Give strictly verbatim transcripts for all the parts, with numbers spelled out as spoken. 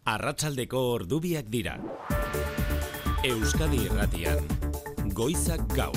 Arratsaldeko ordubiak dira. Euskadi Irratian, Goizak Gaur.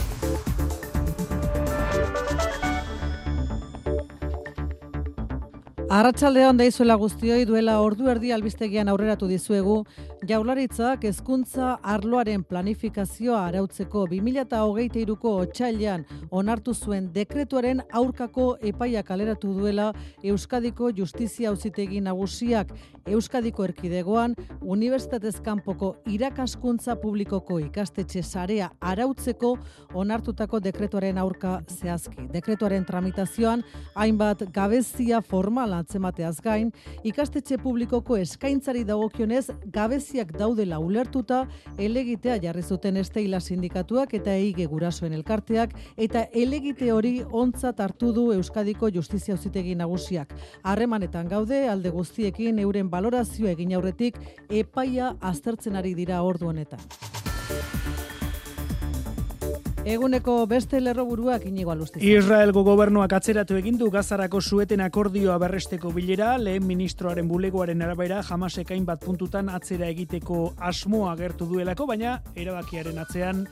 Arratsaldeon deizuela guztioi, duela ordu erdi albistegian aurreratu dizuegu, Jaurlaritzak hezkuntza arloaren planifikazioa arautzeko bi mila hogeita hiruko otsailean onartu zuen dekretuaren aurkako epaia kaleratu duela Euskadiko Justizia Auzitegi Nagusiak. Euskadiko erkidegoan unibertsitatez kanpoko irakaskuntza publikoko ikastetxe sarea arautzeko onartutako dekretuaren aurka zehazki. Dekretuaren tramitazioan hainbat gabezia formal antzemateaz gain, ikastetxe publikoko eskaintzari dagokionez gabeziak daudela ulertuta helegitea jarri zuten Esteila sindikatuak eta Eige gurasoen elkarteak, eta helegite hori ontzat hartu du Euskadiko Justizia Auzitegi Nagusiak. Harremanetan gaude alde guztiekin euren balorazioa egin aurretik epaia aztertzen ari dira ordu honetan. Eguneko beste lerroburuak Inigo Alustiza. Israelgo gobernuak atzeratu egin du Gazarako sueten akordioa berresteko bilera, lehen ministroaren bulegoaren arabera Hamasek hainbat puntutan atzera egiteko asmoa agertu duelako, baina erabakiaren atzean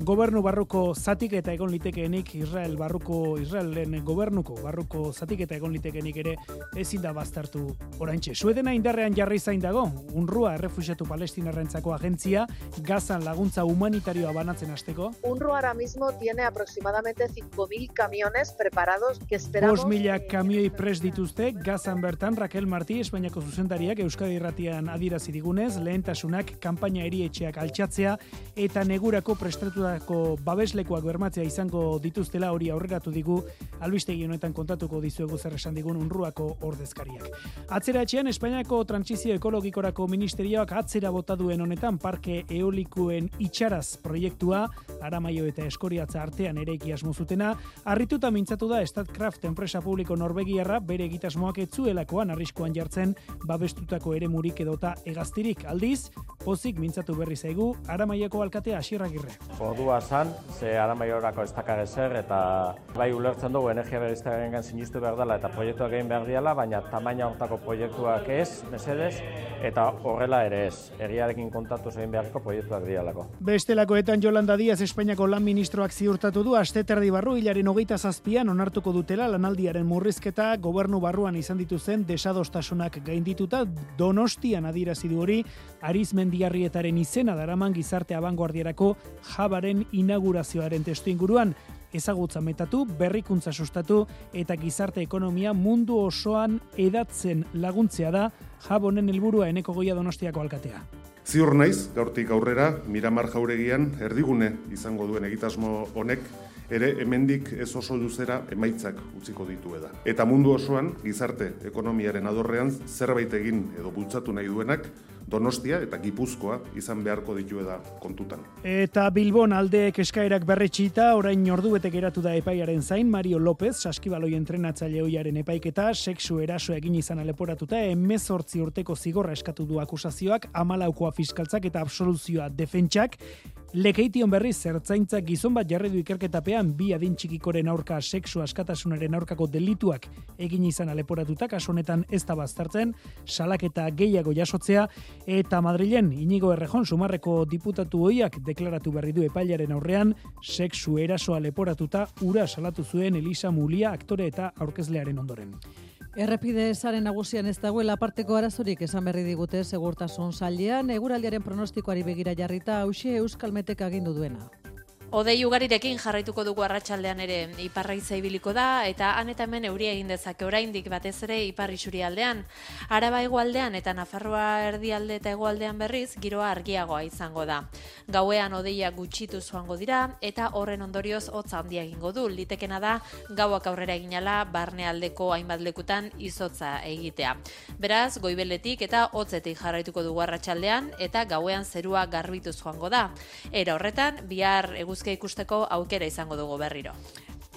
gobernu barruko zatik eta egon litekeenik Israel barruko Israelen gobernuko barruko zatik eta egon litekeenik ere ezin da baztertu oraintxe. Suedena indarrean jarri zain dago. UNRWA errefuxiatu palestinarrentzako agentzia Gazan laguntza humanitarioa banatzen hasteko. UNRWA ahora mismo tiene aproximadamente cinco mil camiones preparados que esperamos. bost mila kamioi prest dituzte Gazan bertan. Raquel Martí, Espainiako zuzendariak Euskadi Irratian adierazi digunez, lehentasunak kanpaina erietxeak altxatzea eta negurako prestatu babeslekuak bermatzea izango dituztela, hori aurreratu digu albistegi honetan kontatuko dizuegu zer esan digun UNRWAko ordezkariak. Atzera etxean Espainiako Trantsizio Ekologikorako Ministerioak atzera bota duen honetan parke eolikuen itxaraz proiektua, Aramaio eta Eskoriatza artean eraiki asmo zutena, harrituta mintzatu da Statkraft enpresa publiko norvegiarra bere egitasmoak ez zuelakoan arriskuan jartzen babestutako eremurik edota hegaztirik. Aldiz, pozik mintzatu berri zaigu Aramaioko alkatea Asier Agirre. Ordua zan, ze Aramaiorako ez dakar ezer, eta bai ulertzen dugu energia berriztagarriengan sinistu behar dela eta proiektuak egin behar diala, baina tamaina hortako proiektuak ez, mesedez, eta horrela ere ez. Egiarekin kontatuz egin beharko proiektuak dialako. Bestelakoetan Yolanda Díaz Espainiako lan ministroak ziurtatu du asteterdi barru hilaren hogeita zazpian onartuko dutela lanaldiaren murrizketa gobernu barruan izan dituzen desadostasunak gaindituta. Donostian adierazi du hori Arizmendiarrietaren izena daraman gizarte abangoardierako Jabaren inaugurazioaren testu inguruan. Ezagutza metatu, berrikuntza sustatu eta gizarte ekonomia mundu osoan edatzen laguntzea da Jabonen helburua. Eneko Goia Donostiako alkatea. Ziur naiz, gaurtik aurrera, Miramar Jauregian erdigune izango duen egitasmo honek ere hemendik ez oso luzera emaitzak utziko ditu eda. Eta mundu osoan gizarte ekonomiaren adorrean zerbait egin edo bultzatu nahi duenak Donostia eta Gipuzkoa izan beharko ditueda kontutan. Eta Bilbon aldeek eskaerak berretxita, orain ordubete geratu da epaiaren zain, Mario López, saskibaloi entrenatzaile ohiaren epaiketa, sexu eraso egin izan aleporatuta, hemezortzi urteko zigorra eskatu du akusazioak, hamalaukoa fiskaltzak eta absoluzioa defentsak. Lekeition berriz ertzaintzak gizon bat jarri du ikerketapean bi adin txikikoren aurka sexu askatasunaren aurkako delituak egin izan aleporatuta, kasu honetan ez da baztertzen, salaketa gehiago jasotzea, eta Madrilen Inigo Errejón Sumarreko diputatu ohiak deklaratu berri du epailaren aurrean sexu erasoa leporatuta ura salatu zuen Elisa Mulia aktore eta aurkezlearen ondoren. Errepide saren nagusian ez dagoela aparteko arazorik esan berri digute segurtasun sailean, eguraldiaren pronostikoari begira jarrita hauxe Euskalmetek agindu duena. Odei ugarirekin jarraituko dugu arratsaldean ere iparraiza ibiliko da eta han eta hemen euria egin dezake oraindik batez ere ipar isurialdean. Araba hegoaldean eta Nafarroa erdialde eta hegoaldean berriz giroa argiagoa izango da. Gauean odeia gutxitu joango dira eta horren ondorioz hotza handia egingo du. Litekena da gauak aurrera eginala barnealdeko hainbat lekutan izotza egitea. Beraz, goibeletik eta hotzetik jarraituko dugu arratsaldean eta gauean zerua garbituz joango da. Era horretan, bihar eguz ikusteko aukera izango dugu berriro.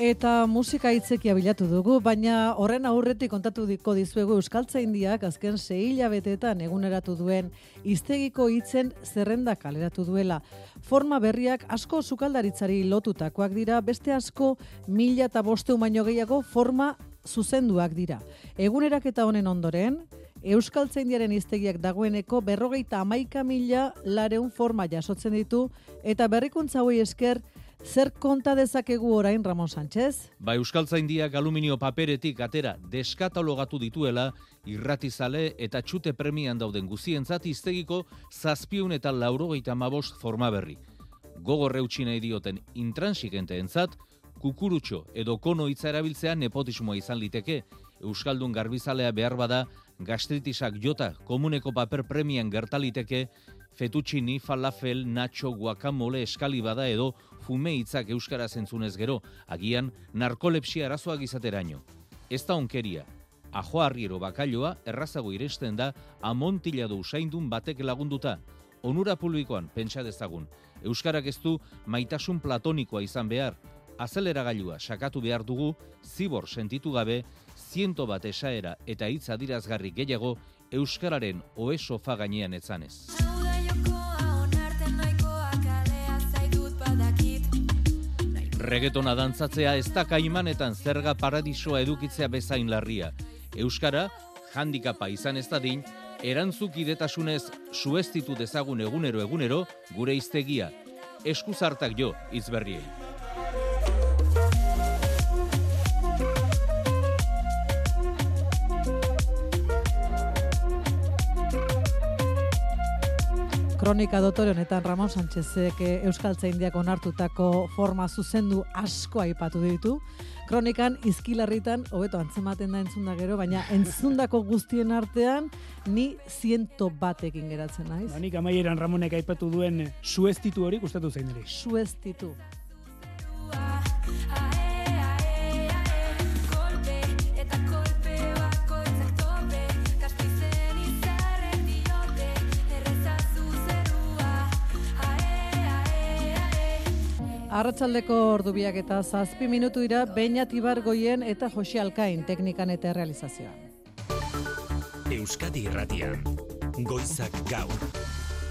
Eta musika hitzekia bilatu dugu, baina horren aurretik kontatu diko dizuegu Euskaltzaindiak azken sei hilabeteetan eguneratu duen hiztegiko hitzen zerrenda kaleratu duela. Forma berriak asko sukaldaritzari lotutakoak dira, beste asko mila eta bosteun baino gehiago forma zuzenduak dira. Eguneraketa honen ondoren, Euskaltzaindiaren hiztegiak dagoeneko berrogeita hamaika mila lareun forma jasotzen ditu, eta berrikuntza hauei esker, zer konta dezakegu orain, Ramon Sánchez? Ba, Euskaltzaindiak aluminio paperetik atera deskatalogatu dituela, irratizale eta txute premian dauden guzientzat hiztegiko zazpiehun eta laurogeita hamabost forma berri. Gogor eutsi nahi dioten intransigenteentzat, kukurutxo edo kono hitza erabiltzea nepotismoa izan liteke. Euskaldun garbizalea behar bada, gastritisak jota komuneko paper premian gertaliteke, fettuccini, falafel, nacho, guacamole eskali bada edo fume hitzak euskaraz entzunez gero, agian narkolepsia arazoak izateraino. Ez da onkeria. Ajoa arriero bakailoa errazago iresten da amontilado usaindun batek lagunduta. Onura publikoan pentsa dezagun. Euskarak ez du maitasun platonikoa izan behar. Azeleragailua sakatu behar dugu, zibor sentitu gabe, ziento bat esaera eta hitz adirazgarri gehiago euskararen ohe sofa gainean etzanez. Reggaetona dantzatzea ez da kaimanetan zerga paradisoa edukitzea bezain larria. Euskara, handikapa izan ez dadin, erantzukidetasunez suestitu dezagun egunero egunero gure hiztegia. Eskuzartak jo hitz berriei. Kronika dotore honetan Ramon Sánchezek Euskaltzaindiak onartutako forma zuzendu asko aipatu ditu. Kronikan izkilarritan hobeto antzematen da entzunda gero, baina entzundako guztien artean ni ziento batekin geratzen naiz. Ba, nik amaieran Ramonek aipatu duen suestitu hori gustatu zein ere. Suestitu. Arratsaldeko ordubiak eta zazpi minutu dira Beñat Ibargoien eta Jose Alkain teknikan eta realizazioan. Euskadi Irratian, Goizak Gaur.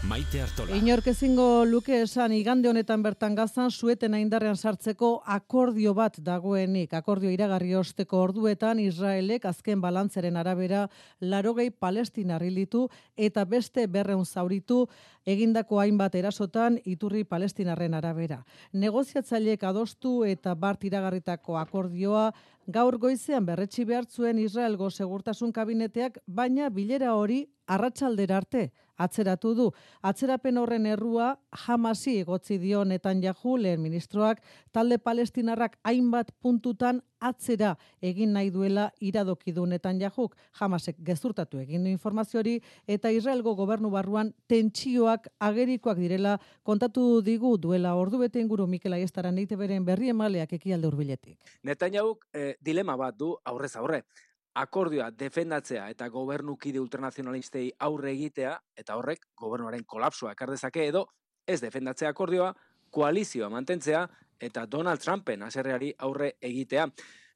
Maite Artola. Inork ezingo luke esan igande honetan bertan Gazan suetena indarrean sartzeko akordio bat dagoenik. Akordio iragarri osteko orduetan Israelek azken balantzaren arabera laurogei palestinar hil ditu eta beste berrehun zauritu egindako hainbat erasotan iturri palestinarren arabera. Negoziatzaileek adostu eta bart iragarritako akordioa gaur goizean berretsi behar zuen Israelgo segurtasun kabineteak, baina bilera hori arratsaldera arte atzeratu du. Atzerapen horren errua Hamasi egotzi dio Netanyahu lehen ministroak, talde palestinarrak hainbat puntutan atzera egin nahi duela iradoki du Netanyahuk. Hamasek gezurtatu egin du informazio hori eta Israelgo gobernu barruan tentsioak agerikoak direla kontatu digu duela ordubete inguru Mikel Aiestaran E I T Bren berri emaleak ekialde hurbiletik. Netanyahuk eh, dilema bat du aurrez aurre. Akordioa defendatzea eta gobernukide ultranazionalistei aurre egitea, eta horrek gobernuaren kolapsoa ekar dezake edo ez defendatzea akordioa, koalizioa mantentzea eta Donald Trumpen haserreari aurre egitea.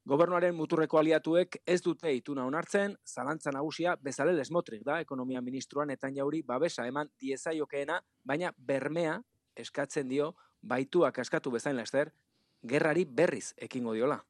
Gobernuaren muturreko aliatuek ez dute ituna onartzen, zalantza nagusia Bezalel Smotrich da, ekonomia ministroan Netanyahuri babesa eman diezaiokeena, baina bermea eskatzen dio baituak askatu bezain laster, gerrari berriz ekingo diola.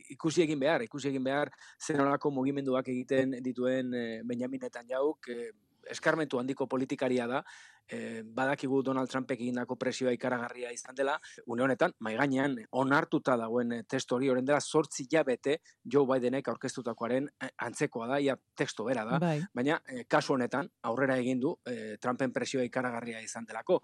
Ikusi egin behar, ikusi egin behar zenolako mugimenduak egiten dituen e, Benjamin Netanyahuk, e, eskarmentu handiko politikaria da, e, badakigu Donald Trumpek egindako presioa ikaragarria izan dela, une honetan, mai gainean onartuta dagoen testu hori orain dela zortzi hilabete Joe Bidenek aurkeztutakoaren antzekoa da, ia testu bera da, bai. Baina e, kasu honetan aurrera egin du e, Trumpen presioa ikaragarria izan delako.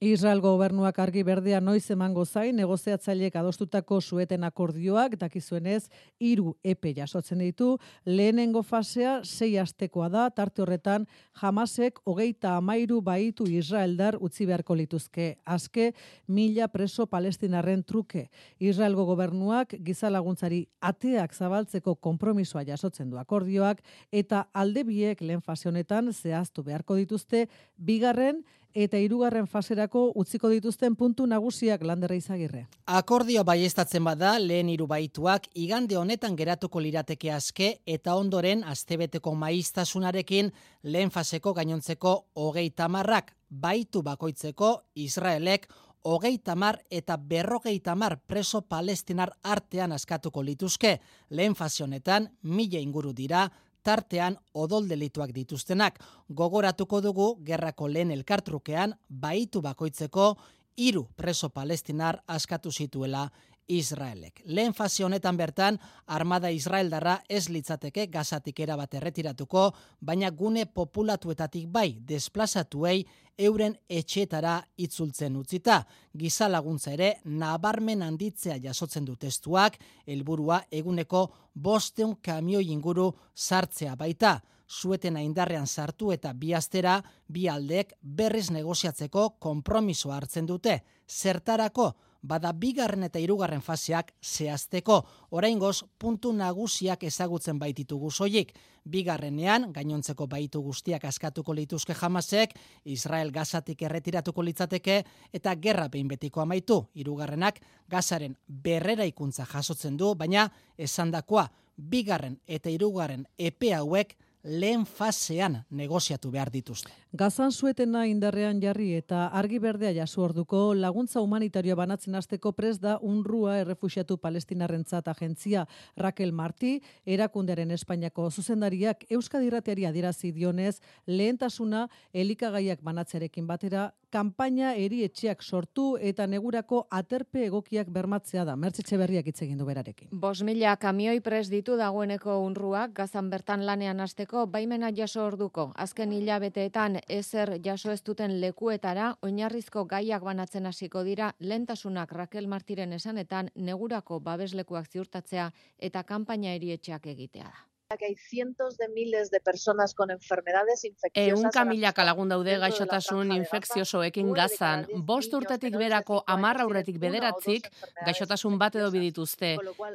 Israel gobernuak argi berdea noiz emango zain, negoziatzaileek adostutako sueten akordioak, dakizuenez, hiru epe jasotzen ditu, lehenengo fasea sei astekoa da, tarte horretan Hamasek hogeita hamairu baitu israeldar utzi beharko lituzke, aske mila preso palestinarren truke. Israelgo gobernuak giza laguntzari ateak zabaltzeko konpromisoa jasotzen du akordioak, eta alde biek lehen fase honetan zehaztu beharko dituzte, bigarren eta hirugarren faserako utziko dituzten puntu nagusiak Landerra Izagirre. Akordio baieztatzen bada lehen hiru baituak igande honetan geratuko lirateke aske eta ondoren astebeteko maiztasunarekin lehen faseko gainontzeko hogeita hamarrak baitu bakoitzeko Israelek hogeita hamar eta berrogeita hamar preso palestinar artean askatuko lituzke. Lehen fase honetan mila inguru dira tartean odol delituak dituztenak. Gogoratuko dugu gerrako lehen elkartrukean baitu bakoitzeko hiru preso palestinar askatu zituela Israelek. Lehen fase honetan bertan, armada israeldarra ez litzateke Gazatik erabat erretiratuko, baina gune populatuetatik bai desplazatuei euren etxetara itzultzen utzita. Giza laguntza ere nabarmen handitzea jasotzen du testuak, helburua eguneko bosteun kamioi inguru sartzea baita. Suetena indarrean sartu eta bi astera bi aldeek berriz negoziatzeko konpromisoa hartzen dute. Zertarako? Bada bigarren eta hirugarren faseak zehazteko. Oraingoz puntu nagusiak ezagutzen baititugu soilik. Bigarrenean, gainontzeko baitu guztiak askatuko lituzke Hamasek, Israel Gazatik erretiratuko litzateke eta gerra behin betiko amaitu. Hirugarrenak Gazaren berreraikuntza jasotzen du, baina esandakoa bigarren eta hirugarren epe hauek lehen fasean negoziatu behar dituzte. Gazan suetena indarrean jarri eta argi berdea jaso orduko laguntza humanitarioa banatzen hasteko prest da UNRWA errefuxiatu palestinarrentzat agentzia. Raquel Martí, erakundearen Espainiako zuzendariak Euskadi Irratiari adierazi dionez, lehentasuna elikagaiak banatzearekin batera kanpaina erietxeak sortu eta negurako aterpe egokiak bermatzea da. Mertxe Etxeberriak hitz egin du berarekin. Bost mila kamioi prest ditu dagoeneko UNRWA Gazan bertan lanean hasteko baimena jaso orduko. Azken hilabeteetan ezer jaso ez duten lekuetara oinarrizko gaiak banatzen hasiko dira lehentasunak Raquel Martiren esanetan negurako babeslekuak ziurtatzea eta kanpaina erietxeak egitea da. Que hay cientos de miles de personas con enfermedades infecciosas. Ehunka milaka lagun daude gaixotasun infekziosoekin Gazan. Bost urtetik berako hamar aurretik bederatzik gaixotasun bat edo bidituzte.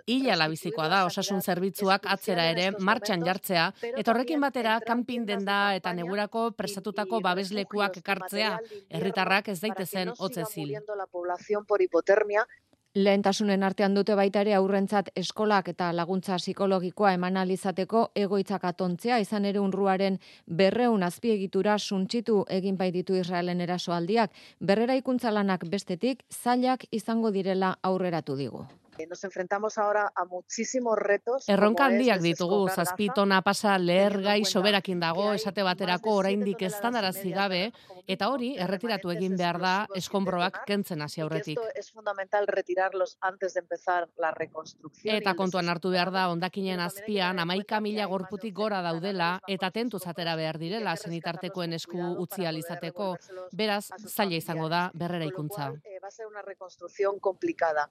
Hila labizikoa da osasun zerbitzuak atzera ere martxan jartzea, eta horrekin batera kanpin denda eta negurako prestatutako babeslekuak ekartzea, herritarrak ez daitezen hotzezil. Lehentasunen artean dute baita ere aurrentzat eskolak eta laguntza psikologikoa eman alizateko egoitzak atontzea, izan ere UNRWAren berreun azpiegitura suntsitu egin baititu Israelen erasoaldiak, berreraikuntza lanak bestetik zailak izango direla aurreratu digu. Nos enfrentamos ahora a muchísimos retos. Erronka handiak ditugu, zazpi tona pasa lehergai soberakin dago, esate baterako oraindik eztandarazi gabe, eta hori erretiratu egin behar da eskonbroak kentzen hasi aurretik. Es fundamental retirarlos antes de empezar la reconstrucción. Eta kontuan hartu behar da hondakinen azpian hamaika mila gorputik gora daudela eta tentuz atera behar direla senitartekoen esku utzi alizateko, beraz zaila izango da berreraikuntza. Va a ser una reconstrucción complicada.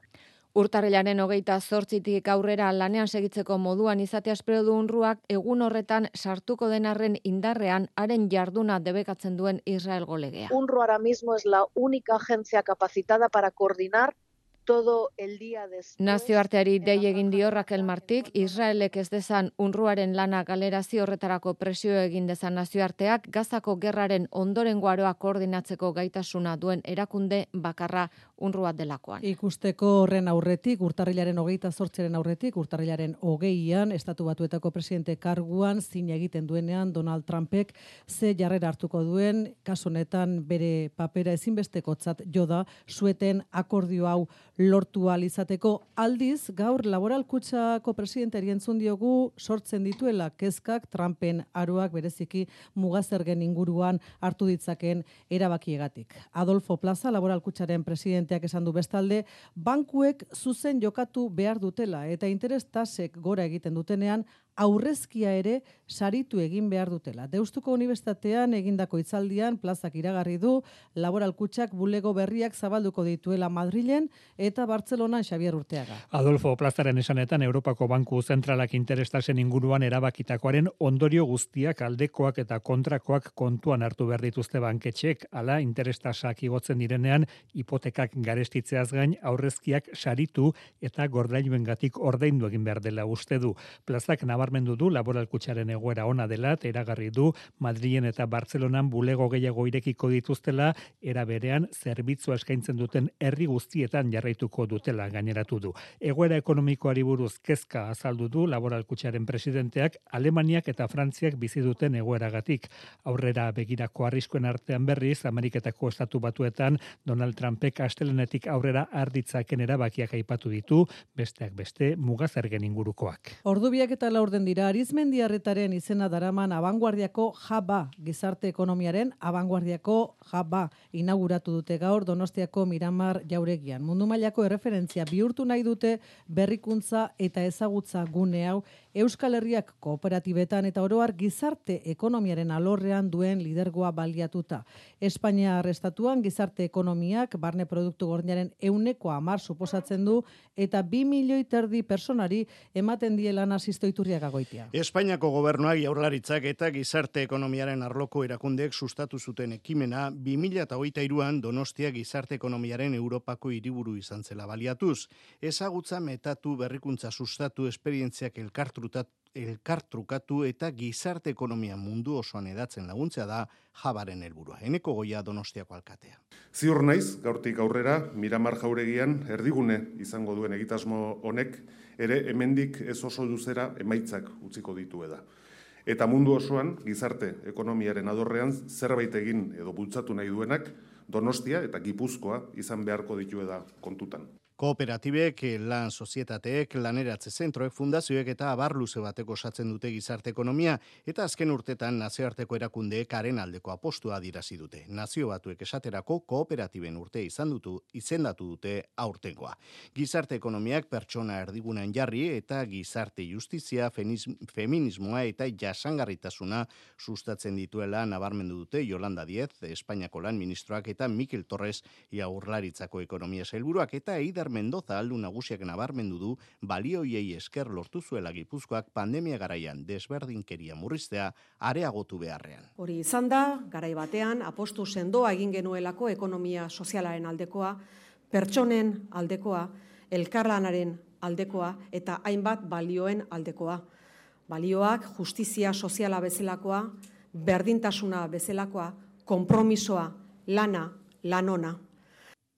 Urtarrilaren hogeita zortzitik aurrera lanean segitzeko moduan izatea espero du UNRWAk egun horretan sartuko denarren indarrean haren jarduna debekatzen duen Israelgo legea. UNRWA ahora mismo es la única agencia capacitada para coordinar todo el día después. Nazioarteari dei egin dio Raquel Martik, Israelek ez dezan UNRWAren lana galerazio horretarako presio egin dezan nazioarteak, Gazako gerraren ondorengo aroa koordinatzeko gaitasuna duen erakunde bakarra UNRWA delakoan. Ikusteko horren aurretik, urtarrilaren hogeita zortziaren aurretik, urtarrilaren hogeian, Estatu Batuetako presidente karguan, zin egiten duenean Donald Trumpek ze jarrera hartuko duen, kasu honetan bere papera ezinbestekotzat jo da, sueten akordio hau lortu ahal izateko. Aldiz, gaur Laboral Kutxako presidentari entzun diogu sortzen dituela kezkak Trumpen aroak bereziki mugazergen inguruan hartu ditzakeen erabakiegatik. Adolfo Plaza, Laboral Kutxaren presidenteak esan du bestalde, bankuek zuzen jokatu behar dutela eta interes tasek gora egiten dutenean aurrezkia ere saritu egin behar dutela. Deustuko Unibertsitatean egindako hitzaldian Plazak iragarri du Laboral Kutxak bulego berriak zabalduko dituela Madrilen eta Bartzelonan Xabier Urteaga. Adolfo Plazaren esanetan Europako Banku Zentralak interestasen inguruan erabakitakoaren ondorio guztiak aldekoak eta kontrakoak kontuan hartu behar dituzte banketxek, ala interestasak igotzen direnean hipotekak garestitzeaz gain aurrezkiak saritu eta gordailuengatik ordaindu egin behar dela uste du. Plazak nabarmendu du Laboral Kutxaren egoera ona dela, eta eragarri du Madrilen eta Bartzelonan bulego gehiago irekiko dituztela, era berean zerbitzua eskaintzen duten herri guztietan jarraituko dutela gaineratu du. Egoera ekonomikoari buruz kezka azaldu du Laboral Kutxaren presidenteak Alemaniak eta Frantziak bizi duten egoeragatik. Aurrera begirako arriskuen artean berriz, Ameriketako Estatu Batuetan Donald Trumpek astelenetik aurrera arditzaken erabakiak aipatu ditu, besteak beste mugazergen ingurukoak. Ordubiak eta laurden orden dira Arizmendiarretaren izena daraman abanguardiako jaba, gizarte ekonomiaren abanguardiako jaba inauguratu dute gaur Donostiako Miramar Jauregian. Mundu mailako erreferentzia bihurtu nahi dute berrikuntza eta ezagutza gune hau Euskal Herriak kooperatibetan eta oroar gizarte ekonomiaren alorrean duen lidergoa baliatuta. Espainia estatuan gizarte ekonomiak barne produktu gordinaren ehuneko hamar suposatzen du eta bi milioi terdi personari ematen diela Asisto Iturriaga Goitia. Espainiako gobernuak, Jaurlaritzak eta gizarte ekonomiaren arloko erakundeek sustatu zuten ekimena bi mila hogeita hiruan Donostia gizarte ekonomiaren Europako hiriburu izan zela baliatuz. Ezagutza metatu, berrikuntza sustatu, esperientziak elkartrutatu elkartrukatu eta gizarte ekonomia mundu osoan edatzen laguntzea da jabaren helburua. Eneko Goia Donostiako alkatea. Ziur naiz, gaurtik aurrera, Miramar Jauregian erdigune izango duen egitasmo honek ere hemendik ez oso luzera emaitzak utziko dituela. Eta mundu osoan gizarte ekonomiaren adorrean zerbait egin edo bultzatu nahi duenak Donostia eta Gipuzkoa izan beharko dituela kontutan. Kooperatibek, lan sozietateek, laneratze zentroek, fundazioek eta abar luze bateko osatzen dute gizarte ekonomia eta azken urtetan nazioarteko erakundeek haren aldeko apostua adirazi dute. Nazio Batuek esaterako kooperatiben urte izan dutu, izendatu dute aurtengoa. Gizarte ekonomiak pertsona erdigunean jarri eta gizarte justizia, feminismoa eta jasangarritasuna sustatzen dituela nabarmendu dute Yolanda Díez, Espainiako lan ministroak eta Mikel Torres Jaurlaritzako ekonomia sailburuak eta Eider Mendoza aldu nagusiak nabarmendu du balioiei esker lortu zuela Gipuzkoak pandemia garaian desberdinkeria murriztea areagotu beharrean. Hori izan da, garai batean apostu sendoa egin genuelako ekonomia sozialaren aldekoa, pertsonen aldekoa, elkarlanaren aldekoa eta hainbat balioen aldekoa. Balioak justizia soziala bezalakoa, berdintasuna bezalakoa, konpromisoa, lana, lanona.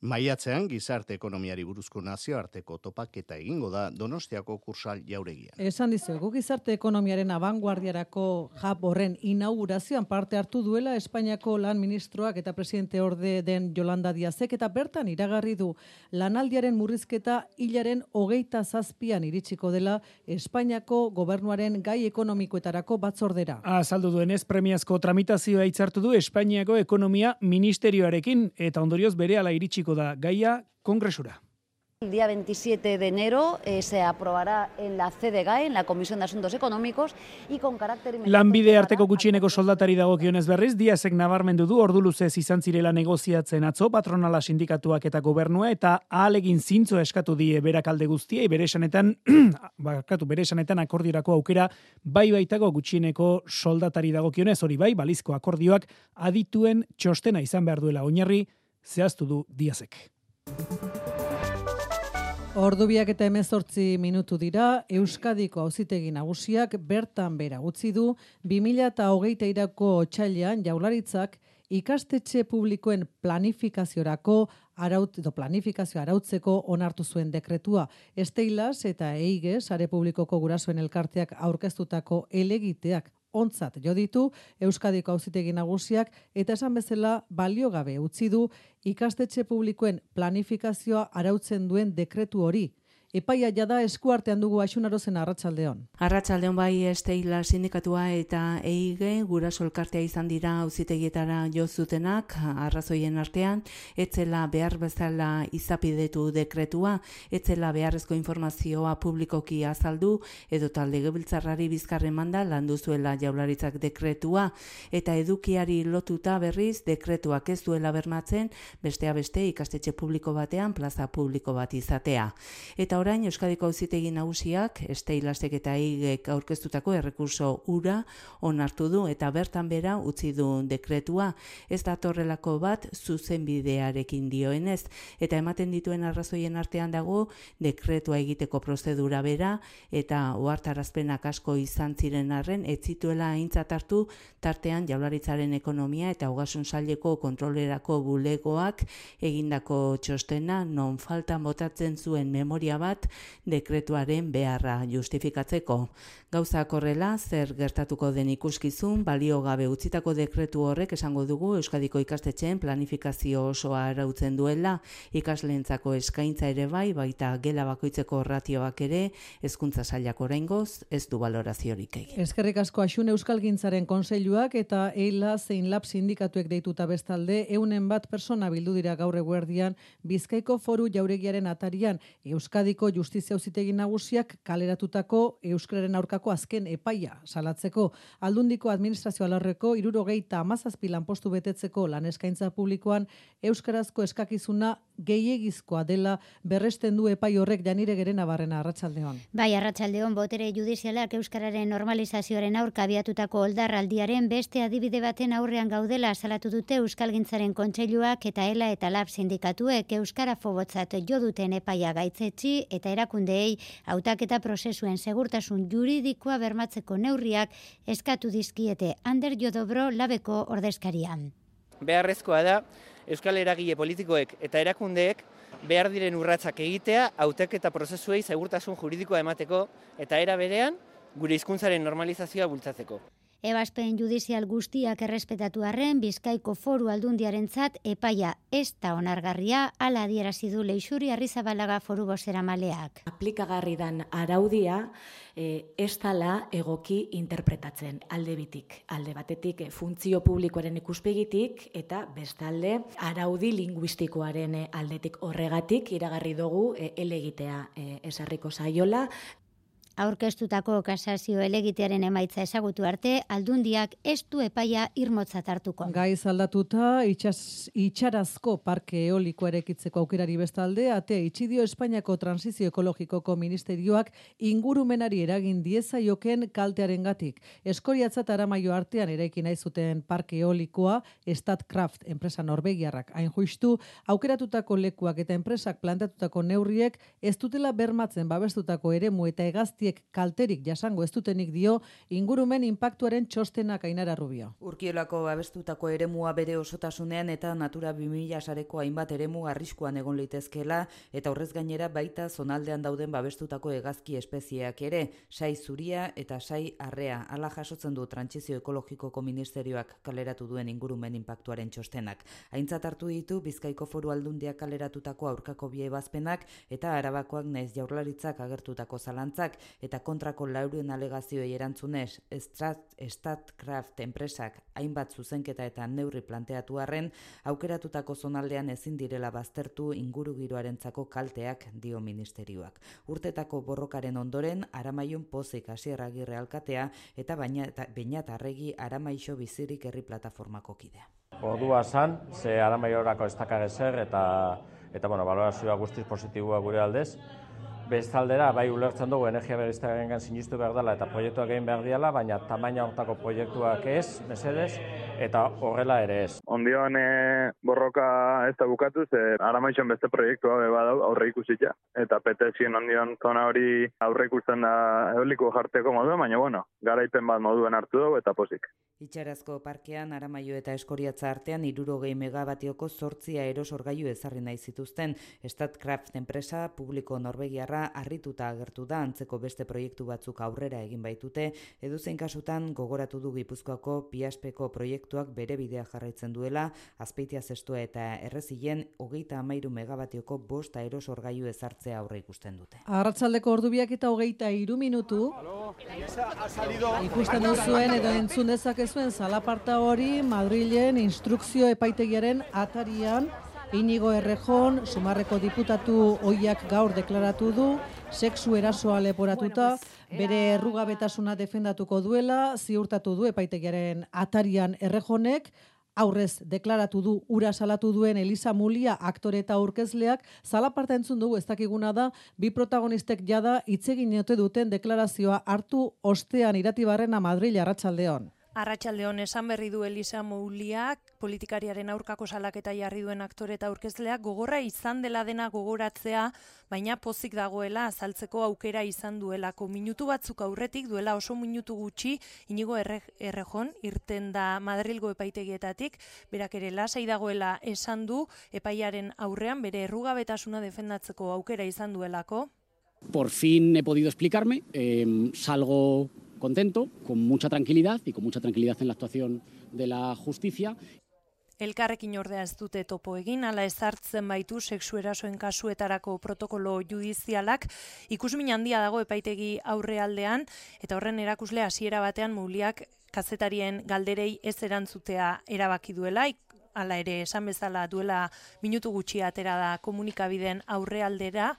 Maiatzean gizarte ekonomiari buruzko nazioarteko topaketa egingo da Donostiako Kursal Jauregian. Esan dizuegu gizarte ekonomiaren abanguardiarako jab horren inaugurazioan parte hartu duela Espainiako lan ministroak eta presidente orde den Yolanda Díazek eta bertan iragarri du lanaldiaren murrizketa hilaren hogeita zazpian iritsiko dela Espainiako gobernuaren gai ekonomikoetarako batzordera. Azaldu duenez premiazko tramitazioa hitzartu du Espainiako ekonomia ministerioarekin eta ondorioz berehala iritsiko da gaia kongresura. El día veintisiete de enero eh, se aprobará en la C D G A E, en la Comisión de Asuntos Económicos, y con carácter inmediato. Lanbide arteko gutxieneko soldatari dagokionez berriz, Díazek nabarmendu du ordu luzez izan zirela negoziatzen atzo, patronala sindikatuak eta gobernua, eta ahalegin zintzo eskatu die berak alde guztiei, bere esanetan, bakatu, bere esanetan akordiorako aukera bai baitako gutxieneko soldatari dagokionez, hori bai, balizko akordioak adituen txostena izan behar duela oinarri, zehaztu du Díazek. Ordubiak eta hemezortzi minutu dira, Euskadiko auzitegi nagusiak bertan bera utzi du bi mila hogeita hirako otsailean Jaurlaritzak ikastetxe publikoen planifikaziorako araut edo planifikazio arautzeko onartu zuen dekretua. Esteilas eta Eige sare publikoko gurasoen elkarteak aurkeztutako helegiteak ontzat jo ditu Euskadiko auzitegi nagusiak eta esan bezala baliogabe utzi du ikastetxe publikoen planifikazioa arautzen duen dekretu hori. Epaia jada eskuartean dugu Aixunarozen Arratsaldeon. Arratsaldeon bai Esteila sindikatua eta Eige guraso elkartea izan dira auzitegietara jo zutenak, arrazoien artean etzela behar bezala izapidetu dekretua, etzela beharrezko informazioa publikoki azaldu edo talde legebiltzarrari bizkarren manda landu zuela Jaurlaritzak dekretua eta edukiari lotuta berriz dekretuak ez duela bermatzen bestea beste ikastetxe publiko batean plaza publiko bat izatea. Eta orain Euskadiko auzitegi nagusiak Esteilasek eta Eigek aurkeztutako errekurso hura onartu du eta bertan bera utzi du dekretua. Ez datorrelako bat zuzenbidearekin dioenez eta ematen dituen arrazoien artean dago dekretua egiteko prozedura bera eta ohartarazpenak asko izan ziren arren ez zituela aintzat hartu tartean Jaurlaritzaren ekonomia eta ogasun saileko kontrolerako bulegoak egindako txostena non faltan botatzen zuen memoria bat bat dekretuaren beharra justifikatzeko. Gauzak horrela, zer gertatuko den ikuskizun, balio gabe utzitako dekretu horrek esango dugu Euskadiko ikastetxeen planifikazio osoa arautzen duela, ikasleentzako eskaintza ere bai, baita gela bakoitzeko ratioak ere, hezkuntza sailak oraingoz ez du baloraziorik egin. Eskerrik asko Axun Euskalgintzaren kontseiluak eta Eila zein Lab sindikatuek deituta bestalde, eunen bat persona bildu dira gaur eguerdian Bizkaiko Foru Jauregiaren atarian Euskadiko Justizia Auzitegi Nagusiak kaleratutako euskararen aurkako azken epaia salatzeko. Aldundiko administrazio alorreko hirurogeita hamazazpi lanpostu betetzeko lan eskaintza publikoan euskarazko eskakizuna gehiegizkoa dela berresten du epai horrek. Janire Gerena Barrena, arratsaldeon. Bai, arratsaldeon, botere judizialak euskararen normalizazioaren aurka abiatutako oldarraldiaren beste adibide baten aurrean gaudela salatu dute Euskalgintzaren kontseiluak eta Ela eta Lab sindikatuek euskara fobotzat jo duten epaia gaitzetsi eta erakundeei hautaketa prozesuen segurtasun juridikoa bermatzeko neurriak eskatu dizkiete. Ander Jodobro Labeko ordezkarian. Beharrezkoa da euskal eragile politikoek eta erakundeek behar diren urratsak egitea hautaketa prozesuei segurtasun juridikoa emateko eta era berean gure hizkuntzaren normalizazioa bultzatzeko. Ebazpen judizial guztiak errespetatu arren, Bizkaiko Foru Aldundiarentzat epaia ez da onargarria, hala adierazi du Leixuri Arrizabalaga foru bozeramaleak. Aplikagarri dan araudia e, ez dela egoki interpretatzen alde bitik. Alde batetik e, funtzio publikoaren ikuspegitik eta bestalde araudi linguistikoaren aldetik horregatik iragarri dugu e, elegitea e, esarriko saiola. Aurkeztutako kasazio elegitearen emaitza ezagutu arte, Aldundiak ez du epaia irmotzat hartuko. Gaiz aldatuta, itxas, itxarazko parke eolikoa erekitzeko aukerari bestalde, atea itxidio Espainiako Transizio Ekologikoko Ministerioak ingurumenari eragin diezaioken kaltearengatik. Eskoriatzat Aramaio artean eraiki nahi zuten parke eolikoa, Statkraft enpresa norvegiarrak hain justu, aukeratutako lekuak eta enpresak plantatutako neurriek ez dutela bermatzen babestutako eremu eta hegaztiek kalterik jasango ez dutenik dio ingurumen inpaktuaren txostenak. Ainara Rubio. Urkiolako babestutako eremua bere osotasunean eta Natura bi mila sareko hainbat eremu arriskuan egon litezkela eta horrez gainera baita zonaldean dauden babestutako hegazki espezieak ere, sai zuria eta sai arrea. Hala jasotzen du Trantsizio Ekologikoko Ministerioak kaleratu duen ingurumen inpaktuaren txostenak. Aintzat hartu ditu Bizkaiko Foru Aldundiak kaleratutako aurkako bi ebazpenak eta Arabakoak naiz Jaurlaritzak agertutako zalantzak eta kontrako laurien alegazioei erantzunez Statkraft enpresak hainbat zuzenketa eta neurri planteatu arren, aukeratutako zonaldean ezin direla baztertu ingurugiroarentzako kalteak dio ministerioak. Urtetako borrokaren ondoren, Aramaion Pozik Asier Agirre alkatea eta Beñat Arregi Aramaixo Bizirik herri plataformako kidea. Ordua san, ze Aramaiorako ez dakagezer eta, eta bueno, balorazioa guztiz positiboa gure aldez. Bestaldera, bai ulertzen dugu energia berriztagarriengan sinistu behar dela eta proiektuak egin behar diala, baina tamaina hortako proiektuak ez, mesedez, eta horrela ere ez. Ondioan e, borroka ez da bukatu, ze Aramaixon beste proiektua badau aurre ikusitza. Eta petezien ondion zona hori aurre ikusten da eoliko jarteko modua, baina bueno, garaipen bat moduen hartu dugu eta pozik. Itxarazko parkean Aramaio eta Eskoriatza artean hirurogei megabatioko zortzia erosorgailu ezarri nahi zituzten. Statkraft enpresa publiko norvegiarra harrituta agertu da antzeko beste proiektu batzuk aurrera egin baitute, edozein kasutan gogoratu du Gipuzkoako Piaspeko proiektuak bere bidea jarraitzen duela, Azpeitia Zestoa eta Errezilen hogeita hamairu megabatioko bost aerosorgailu ezartzea aurre ikusten dute. Arratsaldeko ordubiak eta hogeita hiru minutu. Ikusten duzuen edo entzun dezakezuen zalaparta hori Madrilen instrukzio epaitegiaren atarian. Inigo Errejon, Sumarreko diputatu ohiak gaur deklaratu du, sexu erasoa leporatuta, bere errugabetasuna defendatuko duela, ziurtatu du epaitegiaren atarian Errejonek, aurrez deklaratu du ura salatu duen Elisa Mulia aktore eta aurkezleak. Zalaparta entzun dugu, ez dakiguna da, bi protagonistek jada hitz egin ote duten deklarazioa hartu ostean Iratibarrena Madril. Arratsaldeon. Arratsaldeon, esan berri du Elisa Mouliak, politikariaren aurkako salaketa jarri duen aktore eta aurkezleak, gogorra izan dela dena gogoratzea, baina pozik dagoela azaltzeko aukera izan duelako. Minutu batzuk aurretik, duela oso minutu gutxi, Inigo Errejon irten da Madrilgo epaitegietatik, berak ere lasai dagoela esan du, epaiaren aurrean bere errugabetasuna defendatzeko aukera izan duelako. Por fin he podido explicarme, eh, salgo contento, con mucha tranquilidad y con mucha tranquilidad en la actuación de la justicia. Elkarrekin ordea ez dute topo egin, ala ezartzen baitu sexu erasoen kasuetarako protokolo judizialak, ikusmin handia dago epaitegi aurrealdean, eta horren erakusle hasiera batean Mouliak kazetarien galderei ez erantzutea erabaki duela, hala ere esan bezala duela minutu gutxi atera da komunikabideen aurrealdera,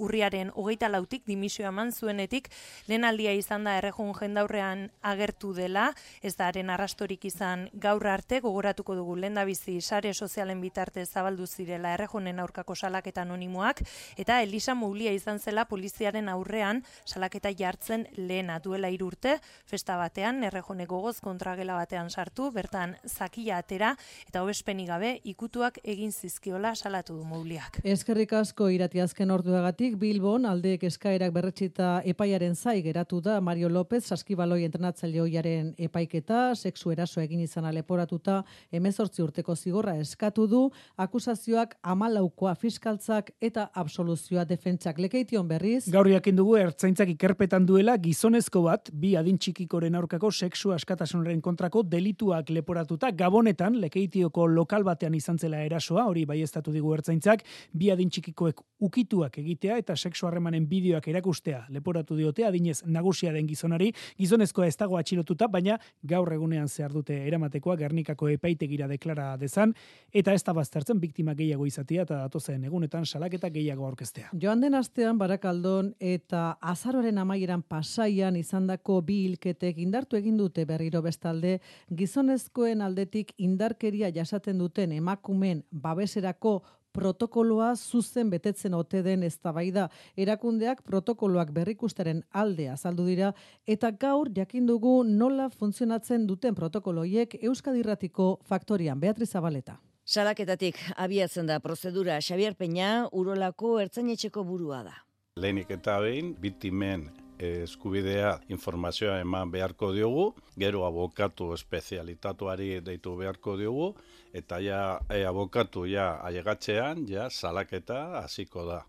urriaren hogeita lautik dimisioa eman zuenetik, lehen aldia izan da errejun jendaurrean agertu dela, ez da haren arrastorik izan gaur arte, gogoratuko dugu lehendabizi sare sozialen bitartez zabaldu zirela errejunen aurkako salaketa anonimoak, eta Elisa Moulia izan zela poliziaren aurrean salaketa jartzen lehena duela hiru urte, festa batean, errejune gogoz kontragela batean sartu, bertan zakia atera, eta hobespenik gabe ikutuak egin zizkiola salatu du Mouliak. Eskerrik asko Irati, azken orduagatik Bilbon aldeek eskaerak berretsita epaiaren zai geratu da Mario López saskibaloi entrenatzaile ohiaren epaiketa, sexu eraso egin izana leporatuta hemezortzi urteko zigorra eskatu du, akusazioak hamalaukoa fiskaltzak eta absoluzioa defentsak. Lekeition berriz. Gaur jakin dugu ertzaintzak ikerpetan duela gizonezko bat bi adin txikikoren aurkako sexu askatasunaren kontrako delituak leporatuta. Gabonetan Lekeitioko lokal batean izan zela erasoa, hori baieztatu digu ertzaintzak, bi adin txikikoek ukituak egitea eta sexu harremanen bideoak erakustea leporatu diote adinez nagusia den gizonari. Gizonezkoa ez dago atxilotuta, baina gaur egunean zehar dute eramatekoa Gernikako epaitegira deklara dezan, eta ez da baztertzen biktima gehiago izatea eta datozen egunetan salaketa gehiago aurkeztea. Joan den astean Barakaldon eta azaroaren amaieran Pasaian izandako bi hilketek indartu egin dute berriro bestalde gizonezkoen aldetik indarkeria jasaten duten emakumeen babeserako protokoloa zuzen betetzen ote den eztabaida. Erakundeak protokoloak berrikusteren alde azaldu dira eta gaur jakin dugu nola funtzionatzen duten protokoloiek Euskadi Irratiko Faktorian. Beatriz Zabaleta. Salaketatik abiatzen da prozedura. Xabier Peña Urolako ertzainetxeko burua da. Lehenik eta behin biktimen eskubidea informazioa eman beharko diogu, gero abokatu espezialitatuari deitu beharko diogu, eta ja e, abokatu ja ailegatzean ja salaketa hasiko da.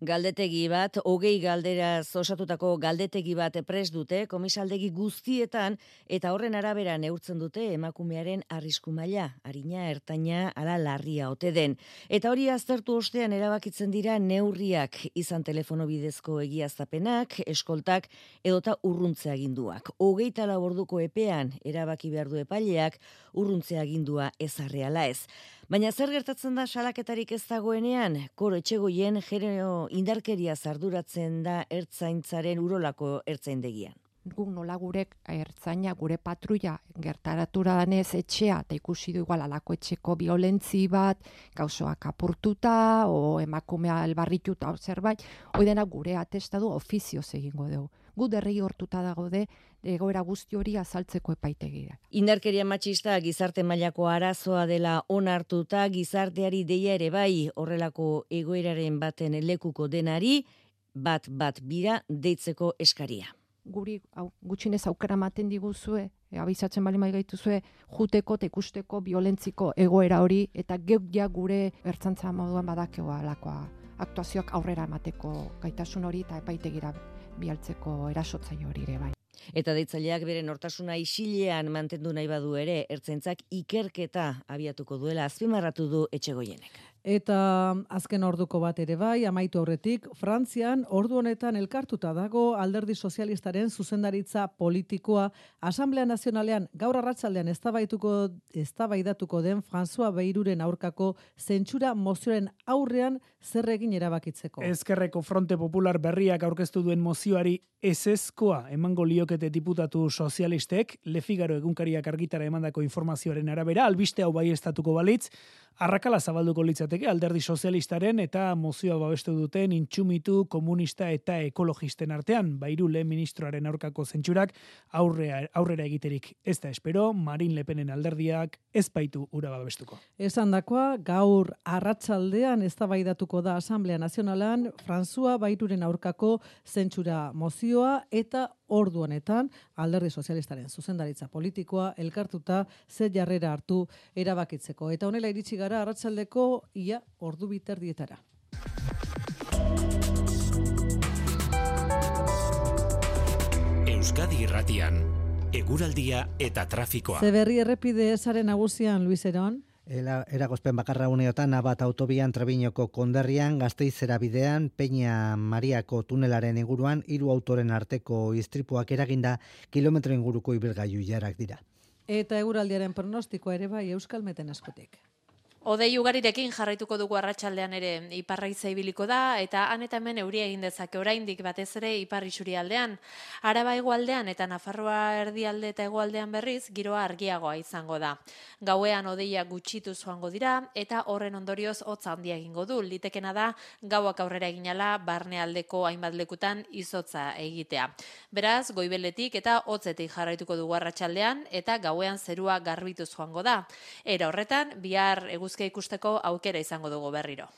Galdetegi bat, hogei galderaz osatutako galdetegi bat prest dute komisaldegi guztietan eta horren arabera neurtzen dute emakumearen arrisku maila, arina, ertaina, ala larria ote den. Eta hori aztertu ostean erabakitzen dira neurriak, izan telefono bidezko egiaztapenak, eskoltak edota urruntze aginduak. Hogeita lau orduko epean erabaki behar du epaileak urruntze agindua ezarreala ez. Baina zer gertatzen da salaketarik ez dagoenean? Koro Etxegoien genero indarkeria zarduratzen da ertzaintzaren Urolako ertzaindegian. Guk nola gure ertzaina, gure patrulla gertaratura danez etxea, eta ikusi du igual alako etxeko violentzi bat, gauzoak apurtuta, o emakumea elbarrituta, o zerbait, hoi dena gure atestadu ofizioz egingo dugu. Gu derregi hortuta dago de egoera guzti hori azaltzeko epaitegira. Indarkeria matxista gizarte mailako arazoa dela onartuta, gizarteari deia ere bai horrelako egoeraren baten lekuko denari, bat bat bira deitzeko eskaria. Guri au, gutxinez aukera ematen diguzue, e, abizatzen bali mai gaituzue, juteko eta ikusteko violentziko egoera hori, eta geuk ja gure ertzantza moduan badakeo alakoa aktuazioak aurrera emateko gaitasun hori eta epaitegira bialtzeko erasotzaile hori ere bai. Eta deitzaileak bere nortasuna isilean mantendu nahi badu ere, ertzaintzak ikerketa abiatuko duela azpimarratu du Etxegoienek. Eta azken orduko bat ere bai, amaitu aurretik, Frantzian ordu honetan elkartuta dago Alderdi Sozialistaren zuzendaritza politikoa. Asamblea Nazionalean gaur arratsaldean eztabaidatuko eztabaidatuko den François Beiruren aurkako zentsura mozioaren aurrean zer egin erabakitzeko. Ezkerreko Fronte Popular berriak aurkeztu duen mozioari ezezkoa emango liokete diputatu sozialistek, Le Figaro egunkariak argitara emandako informazioaren arabera, albiste hau baieztatuko balitz, arrakala zabalduko litzateke Alderdi Sozialistaren eta mozioa babestu duten intsumitu komunista eta ekologisten artean. Bairu lehen ministroaren aurkako zentsurak aurrea, aurrera egiterik ez da espero, Marine Le Penen alderdiak ez baitu ura babestuko. Esandakoa gaur arratsaldean eztabaidatuko da Asamblea Nazionalan François Bairuren aurkako zentsura mozioa eta ordu honetan Alderdi Sozialistaren zuzendaritza politikoa elkartuta ze jarrera hartu erabakitzeko. Eta honela iritsi gara arratsaldeko ia ordu biterdietara. Euskadi Irratian, eguraldia eta trafikoa. Zeberri errepide esaren nagusian, Luis Eron. Eragozpen bakarra uneotan, Abat autobian Trebiñoko konderrian, Gasteizera bidean, Peña Mariako tunelaren inguruan, hiru autoren arteko istripuak eraginda, kilometro inguruko ibilgailu jarak dira. Eta eguraldiaren pronostikoa ere bai Euskalmeten eskutik. Odei ugarirekin jarraituko dugu arratsaldean ere iparraiza ibiliko da eta han eta hemen euria egin dezake oraindik batez ere ipar isurialdean. Araba hegoaldean eta Nafarroa erdialde eta hegoaldean berriz giroa argiagoa izango da. Gauean odeia gutxitu joango dira eta horren ondorioz hotza handia egingo du. Litekena da gauak aurrera eginala barnealdeko hainbat lekutan izotza egitea. Beraz, goibeletik eta hotzetik jarraituko dugu arratsaldean eta gauean zerua garbituz joango da. Era horretan, bihar eguzkia ikusteko aukera izango dugu berriro.